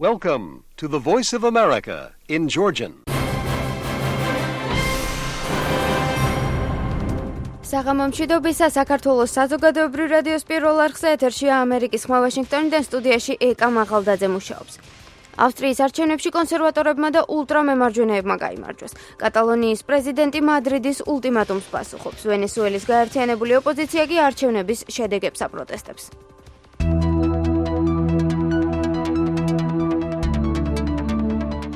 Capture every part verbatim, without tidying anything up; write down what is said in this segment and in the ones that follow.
Welcome to the Voice of America in Georgian. საღამომშვიდობისა საქართველოს საზოგადოებრივ რადიოს პირველ არხზე ეთერშია ამერიკის ხმა ვაშინგტონიდან სტუდიაში ეკა მაღალდაძე მუშაობს. ავსტრიის არჩევნებში კონსერვატორებმა და ულტრამემარჯვენეებმა გაიმარჯვეს. კატალონიის პრეზიდენტი მადრიდის ულტიმატუმს პასუხობს. ვენესუელის გაერთიანებული ოპოზიცია კი არჩევნების შედეგებს აპროტესტებს.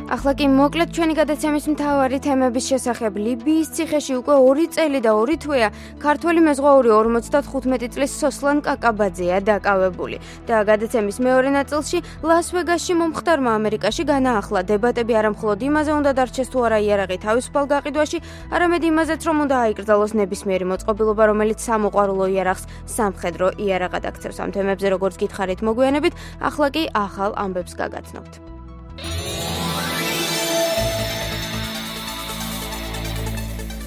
ახლა კი მოკლედ ჩვენი გადაცემის მთავარი თემების შესახებ. ლიბიის ციხეში უკვე ორი წელი და ორი თვეა ქართველი მეზღვაური ორმოცდათხუთმეტი წლის სოსლან კაკაბაძეა დაკავებული. და გადაცემის მეორე ნაწილში ლას-ვეგასში მომხდარმა ამერიკაში განაახლა დებატები არა მხოლოდ იმაზე უნდა დარჩეს თუ არა იარაღი თავისუფალ გაყიდვაში, არამედ იმაზეც რომ უნდა აიკრძალოს ნებისმიერი მოწყობილობა, რომელიც სამოყვარულო იარაღს სამხედრო იარაღად აქცევს. ამ თემებზე როგორც გითხარით მოგვიანებით, ახლა კი ახალ ამბებს გაგაცნობთ.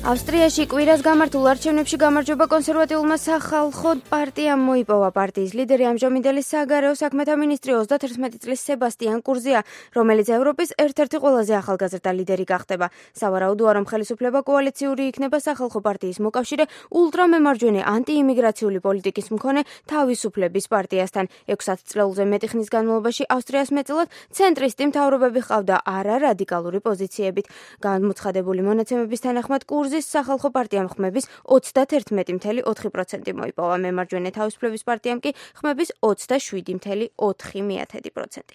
ავსტრიაში კვირას გამართულ არჩევნებში გამარჯვება კონსერვატიულმა სახალხო პარტიამ მოიპოვა. პარტიის ლიდერი ამჟამინდელი საგარეო საქმეთა მინისტრი ოცდათერთმეტი წლის სებასტიან კურზია, რომელიც ევროპის ერთ-ერთი ყველაზე ახალგაზრდა ლიდერი გახდება. სავარაუდოა, რომ ხელისუფლება კოალიციური იქნება სახალხო პარტიის მოკავშირე ულტრამემარჯვენე ანტიიმიგრაციული პოლიტიკის მქონე თავისუფლების პარტიასთან. ექვსათწლეულზე მეტი ხნის განმავლობაში ავსტრიას მეტწილად ცენტრისტი მთავრობები ჰყავდა არა რადიკალური პოზიციებით. გამოცხადებული მონაცემების თანახმად კურზი სახალხო პარტიამ ხმების ოცდათერთმეტი წუთი ოთხი პროცენტი მოიპოვა. მემარჯვენე თავისუფლების პარტიამ კი ხმების ოცდაშვიდი წუთი ოთხი პროცენტი.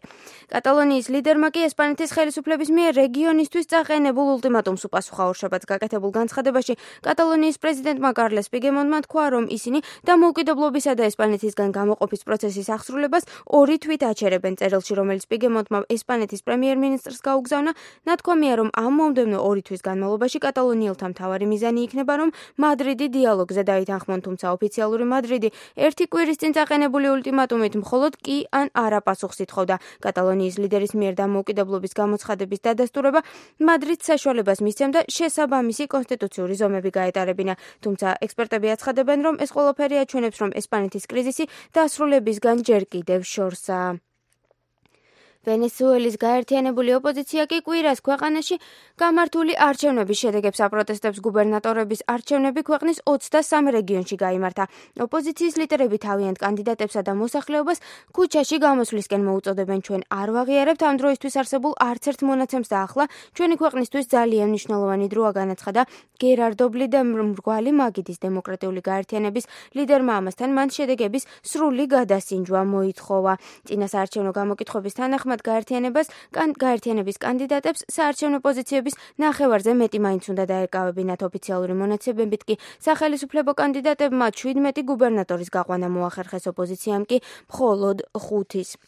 კატალონიის ლიდერმა კი ესპანეთის ხელისუფლების მიერ რეგიონისთვის წაყენებულ ულტიმატუმს უპასუხა. ორშაბათს გაკეთებულ განცხადებაში კატალონიის პრეზიდენტმა კარლეს პუიგდემონტმა თქვა, რომ ისინი დამოუკიდებლობისა და ესპანეთისგან გამოყოფის პროცესის აღსრულებას ორი თვით აჩერებენ. წერილში, რომელიც პუიგდემონტმა ესპანეთის პრემიერ-მინისტრს გაუგზავნა, ნათქვამია, რომ ამ მომდევნო ორი თვის განმავლობაში კატალონიელთა მთავარი მიზანი იქნება, რომ მადრიდი დიალოგზე დაითანხმონ, თუმცა ოფიციალური მადრიდი ერთი კვირის წინ წაყენებული ულტიმატუმით მხოლოდ კი ან არა პასუხს ითხოვდა. კატალონიის ლიდერის მიერ დამოუკიდებლობის გამოცხადების დადასტურება მადრიდს საშუალებას მისცემდა შესაბამისი კონსტიტუციური ზომები გაეტარებინა. თუმცა ექსპერტები აცხადებენ, რომ ეს ყველაფერი აჩვენებს, რომ ესპანეთის კრიზისი დასრულებისგან ჯერ კიდევ შორსაა. ვენესუელის გაერთიანებული ოპოზიცია კი კვირას ქვეყანაში გამართული არჩევნების შედეგებს აპროტესტებს. გუბერნატორების არჩევნები ქვეყნის ოცდასამ რეგიონში გაიმართა. ოპოზიციის ლიდერები თავიანთ კანდიდატებსა და მოსახლეობას ქუჩაში გამოსვლისკენ მოუწოდებენ. ჩვენ არ ვაღიარებთ ამ დროისთვის არსებულ არც ერთ მონაცემს და ახლა ჩვენი ქვეყნისთვის ძალიან მნიშვნელოვანი დროა, განაცხადა გერარდო ბლიდა, მრგვალი მაგიდის დემოკრატიული გაერთიანების ლიდერმა. ამასთან მან შედეგების სრული გადასინჯვა მოითხოვა. წინასაარჩევნო გამოკითხვების თანახმად გაერთიანებას გაერთიანების კანდიდატებს საარჩევნო პოზიციების ნახევარზე მეტი მაინც უნდა დაეკავებინათ. ოფიციალური მონაცემებით კი სახელისუფლებო კანდიდატებმა შვიდმეტი გუბერნატორის გაყვანა მოახერხეს, ოპოზიციამ კი მხოლოდ ხუთის.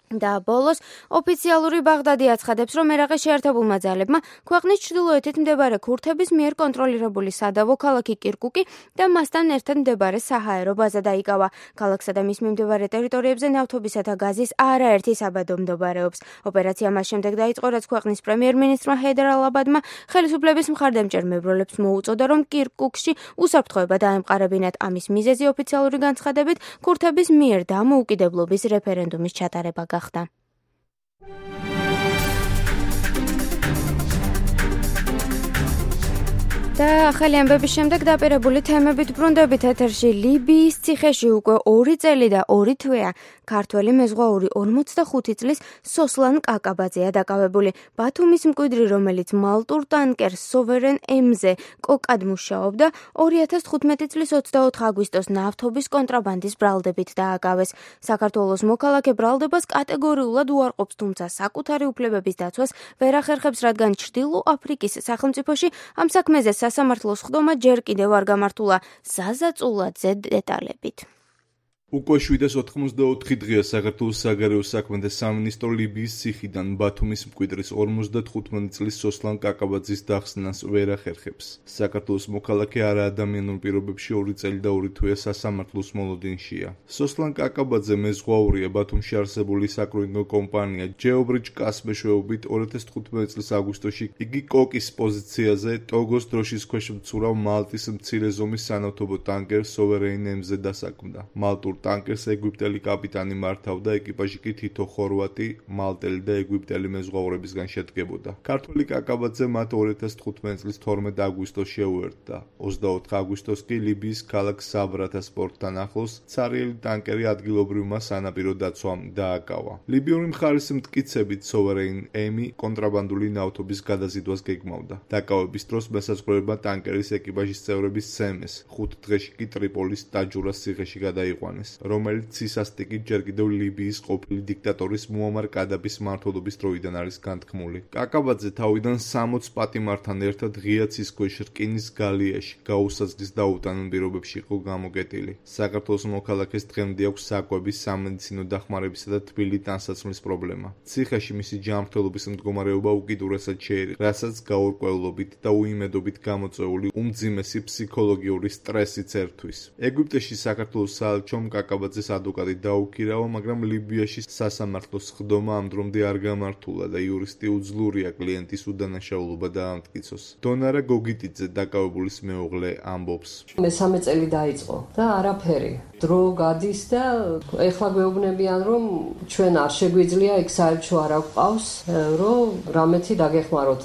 და ბოლოს ოფიციალური ბაღდადი აცხადებს, რომ ერაყის შეერთებულმა ძალებმა ქვეყნის ჩრდილოეთით მდებარე ქურთების მიერ კონტროლირებული სადავო ქალაქი კირკუკი და მასთან ერთად მდებარე საჰაერო ბაზა დაიკავა. ქალაქსა და მის მიმდებარე ტერიტორიებზე ნავთობისა და გაზის არაერთი საბადო მდებარეობს. ოპერაცია მას შემდეგ დაიწყო, რაც ქვეყნის პრემიერ-მინისტრმა ჰეიდარ ალ-აბადმა ხელისუფლების მხარდამჭერ მებრძოლებს მოუწოდა, რომ კირკუკში უსაფრთხოება დაემყარებინათ. ამის მიზეზი ოფიციალური განცხადებით ქურთების მიერ დამოუკიდებლობის რეფერენდუმის ჩატარება გახდა. და ახალი ამბების შემდეგ დაპირებული თემებით ბრუნდებით ეთერში. ლიბიის ციხეში უკვე ორი წელი და ორი თვეა ქართველი მეზღვაური ორმოცდახუთი წლის სოსლან კაკაბაძეა დაკავებული. ბათუმის მკვიდრი, რომელიც მალტურ ტანკერ სოვერენ ემზე კოკად მუშაობდა, ორი ათას თხუთმეტი წლის ოცდაოთხი აგვისტოს ნავთობის კონტრაბანდის ბრალდებით დააკავეს. საქართველოს მოქალაქე ბრალდებას კატეგორიულად უარყოფს, თუმცა საკუთარი უფლებების დაცვას ვერ ახერხებს, რადგან ჩრდილო აფრიკის სახელმწიფოში ამ საქმეზე სასამართლოს ხდომა ჯერ კიდევ არ გამართულა. ზაზა წულაძე დეტალებით. უკვე შვიდას ოთხმოცდაოთხი დღეა საქართველოს საგარეო საქმეთა სამინისტრო ლიბიის ციხიდან ბათუმის მკვიდრის ორმოცდათხუთმეტი წლის სოსლან კაკაბაძის დახსნას ვერ ახერხებს. საქართველოს მოქალაქე არა ადამიანურ პირობებში ორი წელი და ორი თვეა სასამართლოს მოლოდინშია. სოსლან კაკაბაძე მეზღვაურია ბათუმში არსებული საკრუიზო კომპანია ჯეობრიჯ კას მეშვეობით ორი ათას თხუთმეტი წლის აგვისტოში იგი კოკის პოზიციაზე ტოგოს დროშის ქვეშ მცურავ მალტის მცირე ზომის სანავთობო ტანკერ სოვერეინ ემზე დასაქმდა. მალტურ ტანკერს ეგვიპტელი კაპიტანი მართავდა, ეკიპაჟი კი თითო ხორვატი, მალტელი და ეგვიპტელი მეზღვაურებისგან შედგებოდა. ქართველი კაკაბაძე მათ ორი ათას თხუთმეტი წლის თორმეტ აგვისტოს შეუერთდა. ოცდაოთხ აგვისტოს კი ლიბიის ქალაქ საბრათას პორტთან ახლოს ცარიელი ტანკერი ადგილობრივმა სანაპირო დაცვამ დააკავა. ლიბიური მხარის მტკიცებით სოვერეინ ემი კონტრაბანდული ნავთობის გადაზიდვას გეგმავდა. დაკავების დროს მესაზღვრეებმა ტანკერის ეკიპაჟის წევრების სცემეს. ხუთ დღეში კი ტრიპოლის ტაჯურას ციხეში გადაიყვანეს, რომელიც ცისასტიკით ჯერ კიდევ ლიბიის ყოფილი დიქტატორის მუამარ კადაფის მმართველობის დროიდან არის განთქმული. კაკაბაძე თავიდან სამოც პატიმართან ერთად ღია ცის ქვეშ რკინის გალიაში გაუსაზღვის და უტანონ პირობებში იყო გამოკეტილი. საქართველოს მოქალაქეს დღემდე აქვს საკვების, სამედიცინო დახმარებისა და თბილი ტანსაცმლის პრობლემა. ციხეში მისი ჯანმრთელობის მდგომარეობა უკიდურესად შეერიღა, რასაც გაურკვევლობით და უიმედობით გამოწვეული უმძიმესი ფსიქოლოგიური სტრესიც ერთვის. ეგვიპტეში საქართველოს საელჩომ კაკაბაძეს ადვოკატი დაუქირავა, მაგრამ ლიბიაში სასამართლოს ხდომა ამ დრომდე არ გამართულა და იურისტი უძლურია კლიენტის უდანაშაულობა დაამტკიცოს. დონარა გოგიტიძე, დაკავებულის მეუღლე, ამბობს: მესამე წელი დაიწყო და არაფერი. დრო გადის და ეხლა გვეუბნებიან, რომ ჩვენ არ შეგვიძლია იქ საელჩო არ აგვყავს, რომ რამეთი დაგეხმაროთ.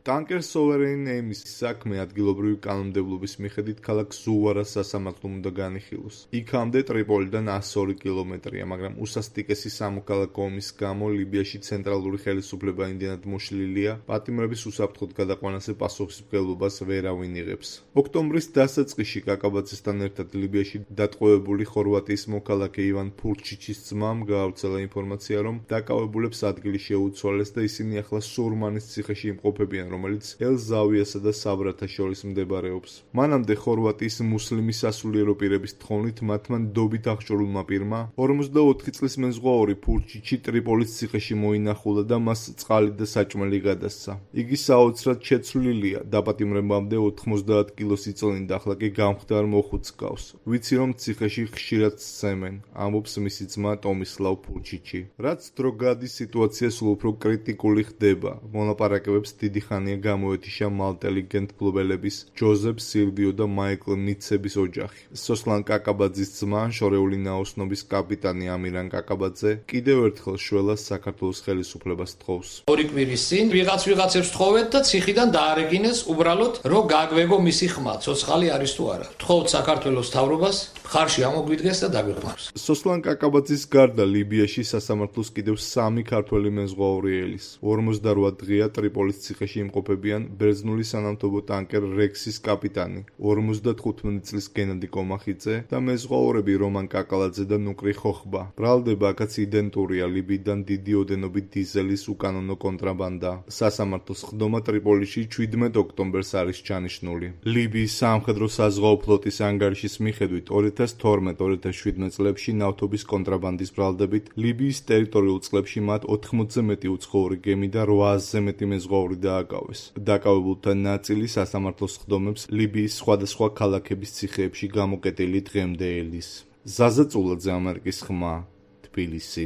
ტანკერს სოვერეინ ემის საქმე ადგილობრივი კანონმდებლობის მიხედვით ქალაქ ზუვარას სასამართლომ უნდა განიხილოს. იქამდე ტრიპოლიდან ასი ორი კილომეტრია, მაგრამ უსასტიკესი სამოქალაქო ომის გამო ლიბიაში ცენტრალური ხელისუფლება იმდენად მოშლილია, პატიმრების უსაფრთხოდ გადაყვანაზე პასუხისმგებლობას ვერავინ იღებს. ოქტომბრის დასაწყისში კაკაბაძესთან ერთად ლიბიაში დატყვევებული ხორვატიის მოქალაქე ივან ფურჩიჩის ძმამ გაავრცელა ინფორმაცია, რომ დაკავებულებს ადგილი შეუცვალეს და ისინი ახლა სურმანის ციხეში იმყოფებიან, რომელიც ელ-ზავიასა და საბრათას შორის მდებარეობს. მანამდე ხორვატიის მუსლიმი სასულიერო პირების თხოვნით მათმა ნდობით აღჭურვილმა პირმა ორმოცდაოთხი წლის მეზღვაური ფურჩიჩი ტრიპოლის ციხეში მოინახულა და მას წყალი და საჭმელი გადასცა. იგი საოცრად შეცვლილია, დაპატიმრებამდე ოთხმოცდაათ კილოს იწონიდა, ახლა კი გამხდარ მოხუც გავს. ვიცი, რომ ციხეში ხშირად სცემენ, ამბობს მისი ძმა ტომისლავ ფურჩიჩი. რაც დრო გადის, სიტუაცია სულ უფრო კრიტიკული ხდება. მოლაპარაკებებს დიდი ხანია გამოეთიშა მალტელი გენთმფლობელების ჯოზეფ სილვიო და მაიკლ ნიცების ოჯახი. სოსლან კაკაბაძის ძმა, შორეული ნაოსნობის კაპიტანი ამირან კაკაბაძე კიდევ ერთხელ შველას საქართველოს ხელისუფლებას თხოვს. ორი კვირის წინ ვიღაც ვიღაცებს თხოვეთ და ციხიდან დაარეგინეს უბრალოდ, რომ გაგვეგო მისი ხმა, ცოცხალი არის თუ არა. თხოვთ საქართველოს მთავრობას, მხარში ამოგვიდგეს და დაგვეხმაროს. სოსლან კაკაბაძის გარდა ლიბიაში სასამართლოს კიდევ სამი ქართველი მეზღვაური ელის. ორმოცდარვა დღეა ტრიპოლის ციხეში იმყოფებიან ბერძნული სანავთობო ტანკერ რექსის კაპიტანი, ორმოცდათხუთმეტი წლის გენადი კომახიძე და მეზღვაურები რომან კაკალაძე და ნუკრი ხოხბა. ბრალდება აქაც იდენტურია ლიბიიდან დიდი ოდენობით დიზელის უკანონო კონტრაბანდა. სასამართლოს ხდომა ტრიპოლიში შვიდმეტ ოქტომბერს არის ჩანიშნული. ლიბიის სამხედრო საზღვაო ფლოტის ანგარიშის მიხედვით ორი ათას თორმეტ ორი ათას შვიდმეტ წლებში ნავთობის კონტრაბანდის ბრალდებით ლიბიის ტერიტორიულ წყლებში მათ ოთხმოცზე მეტი უცხოური გემი და რვაასზე მეტი მეზღვაური დააკავეს. დაკავებულთა ნაწილი სასამართლოს ხდომებს ლიბიის სხვადასხვა ქალაქების ციხეებში გამოკეტილი დღემდე ელის. ზაზა წულაძე, ამერიკის ხმა, თბილისი.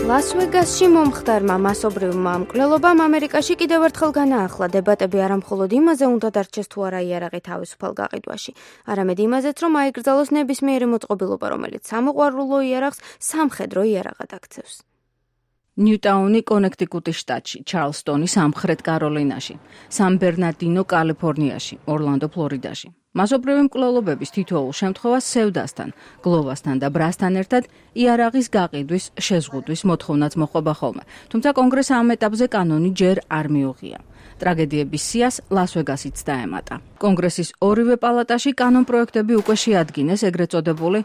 ლას-ვეგასში მომხდარმა მასობრივმა მკვლელობამ ამერიკაში კიდევ ერთხელ განაახლა დებატები არამხოლოდ იმაზე უნდა დარჩეს თუ არა იარაღი თავისუფალ გაყიდვაში, არამედ იმაზეც, რომ აიკრძალოს ნებისმიერი მოწყობილობა, რომელიც სამოყვარულო იარაღს სამხედრო იარაღად აქცევს. ნიუტაუნი კონექტიკუტის შტატში, ჩარლსტონი სამხრეთ კაროლინაში, სან-ბერნარდინო კალიფორნიაში, ორლანდო ფლორიდაში. მასობრივი მკვლელობების თითოეულ შემთხვევას სევდასთან, გლოვასთან და ბრასთან ერთად იარაღის გაყიდვის შეზღუდვის მოთხოვნაც მოყვება ხოლმე, თუმცა კონგრესს ამ ეტაპზე კანონი ჯერ არ მიუღია. ტრაგედიების სიას ლას-ვეგასიც დაემატა. კონგრესის ორივე პალატაში კანონპროექტები უკვე შეადგინეს ეგრეთ წოდებული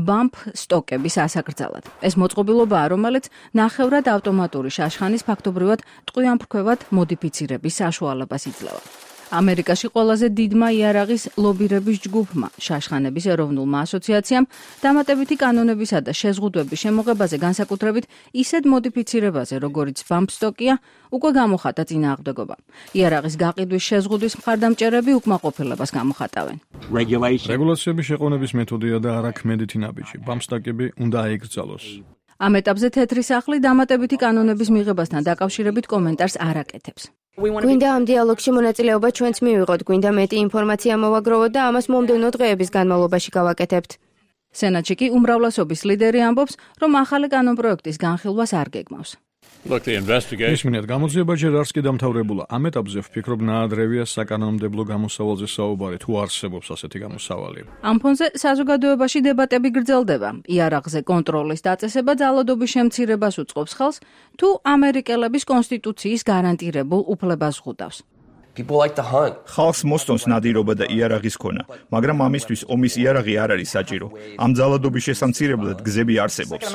ბამპ სტოკების ასაკრძალად. ეს მოწყობილობაა, რომელიც ნახევრად ავტომატური შაშხანის ფაქტობრივად ტყვიამფრქვევად მოდიფიცირების საშუალებას იძლევა. ამერიკაში ყველაზე დიდმა იარაღის ლობირების ჯგუფმა, შაშხანების ეროვნულმა ასოციაციამ, დამატებითი კანონებისა და შეზღუდვების შემოღებაზე, განსაკუთრებით ისეთ მოდიფიცირებაზე, როგორიც ბამპსტოკია, უკვე გამოხატა წინააღმდეგობა. იარაღის გაყიდვის შეზღუდვის მხარდამჭერები უკმაყოფილებას გამოხატავენ. რეგულაციების შეყოვნების მეთოდია და არა ქმედითი ნაბიჯი. ბამპსტოკები უნდა აიკრძალოს. ამ ეტაპზე თეთრი სახლი დამატებითი კანონების მიღებასთან დაკავშირებით კომენტარს არ აკეთებს. გვინდა ამ დიალოგში მონაწილეობა ჩვენც მივიღოთ, გვინდა მეტი ინფორმაცია მოვაგროვოთ და ამას მომდევნო დღეების განმავლობაში გავაკეთებთ. სენატში კი უმრავლესობის ლიდერი ამბობს, რომ ახალი კანონპროექტის განხილვას არ გეგმავს. Look, the investigation. ისმინეთ, გამოძიება ჯერ არც კი დამთავრებულა. ამ ეტაპზე ვფიქრობ, ნაადრევია საკანონმდებლო გამოსავალზე საუბარი, თუ არსებობს ასეთი გამოსავალი. ამ ფონზე საზოგადოებაში დებატები გრძელდება. იარაღზე კონტროლის დაწესება ძალადობის შემცირებას უწყობს ხელს, თუ ამერიკელების კონსტიტუციის გარანტირებულ უფლებას ღუდავს. People like to hunt. ხალხს მოსწონს ნადირობა და იარაღის ქონა, მაგრამ ამისთვის ომის იარაღი არ არის საჭირო. ამ ძალადობის შესამცირებლად გზები არსებობს.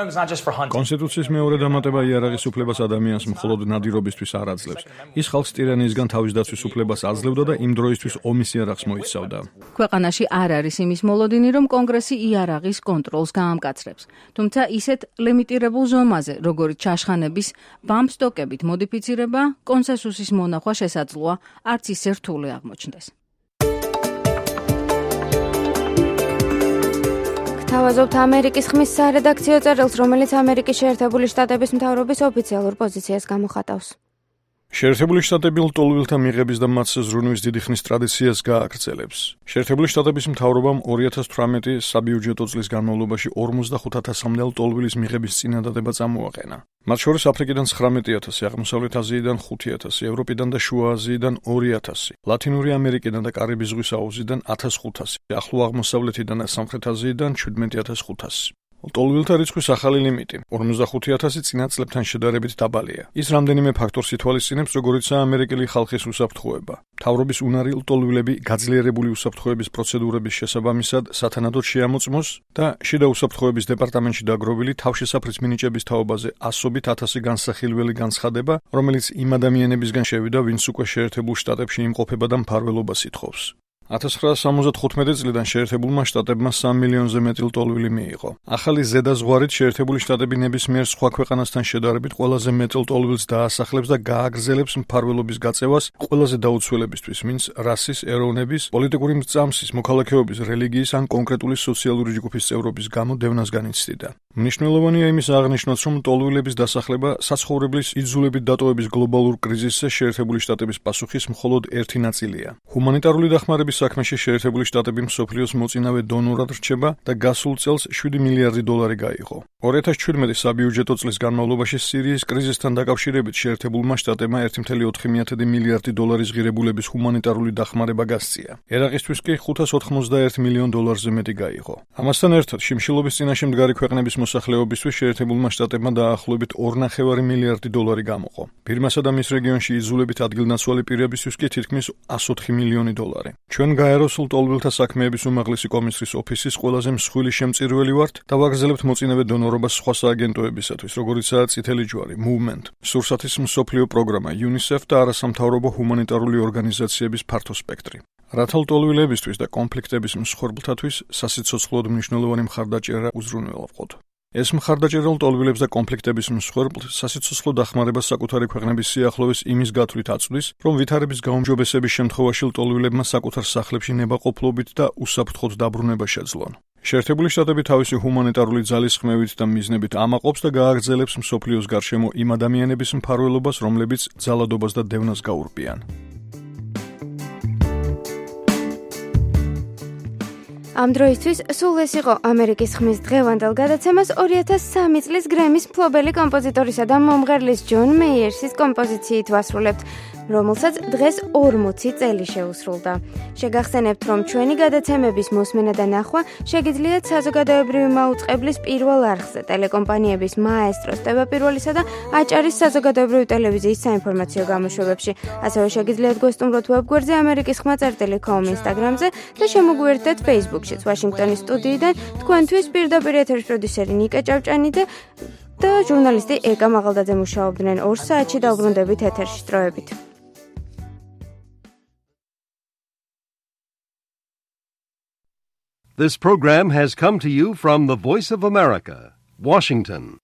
კონსტიტუციის მეორე დამატება იარაღის უფლებას ადამიანს მხოლოდ ნადირობისთვის არ აძლევს. ის ხალხს ტირანიისგან თავის დაცვის უფლებას აძლევდა და იმ დროისთვის ომის იარაღს მოიცავდა. ქვეყანაში არ არის იმის მოლოდინი, რომ კონგრესი იარაღის კონტროლს გაამკაცრებს. თუმცა ისეთ ლიმიტირებულ ზომაზე, როგორიც ჩაშხანების ბამბსტოკებით მოდიფიცირება, კონსენსუსის მონახვა შესაძლოა არც ისე რთული აღმოჩნდეს. გთავაზობთ ამერიკის ხმის სარედაქციო წერილს, რომელიც ამერიკის შეერთებული შტატების მთავრობის ოფიციალურ პოზიციას გამოხატავს. შეერთებული შტატები ლტოლვილთა მიღების და მათ ზრუნვის დიდი ხნის ტრადიციას გააგრძელებს. შეერთებული შტატების მთავრობამ ორი ათას თვრამეტი საბიუჯეტო წლის განმავლობაში ორმოცდახუთ ათასამდე ლტოლვილის მიღების წინადადება წამოაყენა. მათ შორის აფრიკიდან ცხრამეტი ათასი, აღმოსავლეთ აზიიდან ხუთი ათასი, ევროპიდან და შუა აზიიდან ორი ათასი, ლათინური ამერიკიდან და კარიბის ზღვის აუზიდან ათას ხუთასი, ახლო აღმოსავლეთიდან და სამხრეთ აზიიდან შვიდმეტი ათას ხუთასი. ლტოლვილთა რიცხვის ახალი ლიმიტი ორმოცდახუთი ათასი წინა წლებთან შედარებით დაბალია. ის რამდენიმე ფაქტორს ითვალისწინებს, როგორიცაა ამერიკელი ხალხის უსაფრთხოება. მთავრობის უნარი ლტოლვილები გაძლიერებული უსაფრთხოების პროცედურების შესაბამისად სათანადოდ შეამოწმოს და შიდა უსაფრთხოების დეპარტამენტში დაგროვილი თავშესაფრის მინიჭების თაობაზე ასობით ათასი განსახილველი განცხადება, რომელიც იმ ადამიანებისგან შევიდა, ვინც უკვე შეერთებულ შტატებში იმყოფება და მფარველობას ითხოვს. ათას ცხრაასა სამოცდათხუთმეტი წლიდან შეერთებულმა შტატებმა სამ მილიონზე მეტი ლტოლვილი მიიღო. ახალი ზედაზღვარით შეერთებული შტატები ნებისმიერ სხვა ქვეყანასთან შედარებით ყველაზე მეტ ლტოლვილს დაასახლებს და გააგრძელებს მფარველობის გაწევას ყველაზე დაუცველებისთვის, ვინც რასის, ეროვნების, პოლიტიკური მრწამსის, მოქალაქეობის, რელიგიის ან კონკრეტული სოციალური ჯგუფის წევრობის გამო დევნას განიცდიდა. მნიშვნელოვანია იმის აღნიშვნაც, რომ ლტოლვილების დასახლება საცხოვრებლის იძულებით დატოვების გლობალურ კრიზისზე შეერთებული შტატების პასუხის მხოლოდ ერთი ნაწილია. ჰუმანიტარული დახმარების საქმეში შეერთებული შტატები მსოფლიოს მოწინავე დონორად რჩება და გასულ წელს შვიდი მილიარდი დოლარი გაიღო. ორი ათას ჩვიდმეტი საბიუჯეტო წლის განმავლობაში სირიის კრიზისთან დაკავშირებით შეერთებულმა შტატებმა ერთი კoma ოთხი მილიარდი დოლარის ღირებულების ჰუმანიტარული დახმარება გასწია. ერაყისთვის კი ხუთას ოთხმოცდაერთ მილიონ დოლარზე მეტი გაიღო. ამასთან ერთად, შიმშილობის წინაშე მდგარი ქვეყნების მოსახლეობისთვის შეერთებულმა შტატებმა დაახლოებით ორი კoma პέντε მილიარდი დოლარი გამოყო. ბირმასა და მის რეგიონში იძულებით ადგილნაცვალი პირებისთვის კი თითქმის εκατს ოთხი მილიონი დოლარი. ჩვენ გაეროს ლტოლვილთა საქმეების უმაღლესი კომისრის ოფისის ყველაზე მსხვილი შემწირველი ვართ და ვაგრძელებთ მოწინავე დონორობას სხვა სააგენტოებისათვის, როგორიცაა წითელი ჯვარი, Movement, სურსათის მსოფლიო პროგრამა, UNICEF და არასამთავრობო ჰუმანიტარული ორგანიზაციების ფართო სპექტრი. რათა ლტოლვილებისთვის და კონფლიქტების მსხვერპლთათვის სასიცოცხლოდ მნიშვნელოვანი მხარდაჭერა უზრუნველყოთ. ეს მხარდაჭერა ლტოლვილებს და კონფლიქტების მსხვერპლს სასიცოცხლო დახმარებას საკუთარი ქვეყნების სიახლოვეს იმის გათვლით აწვდის, რომ ვითარების გაუმჯობესების შემთხვევაში ლტოლვილებმა საკუთარ სახლებში ნებაყოფლობით და უსაფრთხოდ დაბრუნება შეძლონ. შეერთებული შტატები თავისი ჰუმანიტარული ძალისხმევით და მიზნებით ამაყობს და გააგრძელებს მსოფლიოს გარშემო იმ ადამიანების მფარველობას, რომლებიც ძალადობას და დევნას გაურბიან. ამ დროისთვის სულ ეს იყო ამერიკის ხმის დღევანდელ გადაცემას ორი ათას სამი წლის გრემის მფლობელი კომპოზიტორისა და მომღერლის ჯონ მეიერსის კომპოზიციით ვასრულებთ, რომელსაც დღეს ორმოცი წელი შეუსრულდა. შეგახსენებთ, რომ ჩვენი გადაცემების მოსმენა და ნახვა შეგიძლიათ საზოგადოებრივი მაუწყებლის პირველ არხზე, ტელეკომპანიების მაესტროს, ტევაპირველისა და აჭარის საზოგადოებრივი ტელევიზიის საინფორმაციო გამოშვებებში. ასევე შეგიძლიათ გვესტუმროთ ვებგვერდზე ამერიკის ხმა წერტილი კომ ინსტაგრამზე და შემოგვიერთდეთ ფეისბუქშიც. ვაშინგტონის სტუდიიდან თქვენთვის პირდაპირ ეთერის პროდიუსერი ნიკა ჭავჭანი და და ჟურნალისტი ეკა მაღალდაძე მუშაობდნენ ორ საათში და უბრუნდებით ეთერში სტროებით. This program has come to you from the Voice of America, Washington.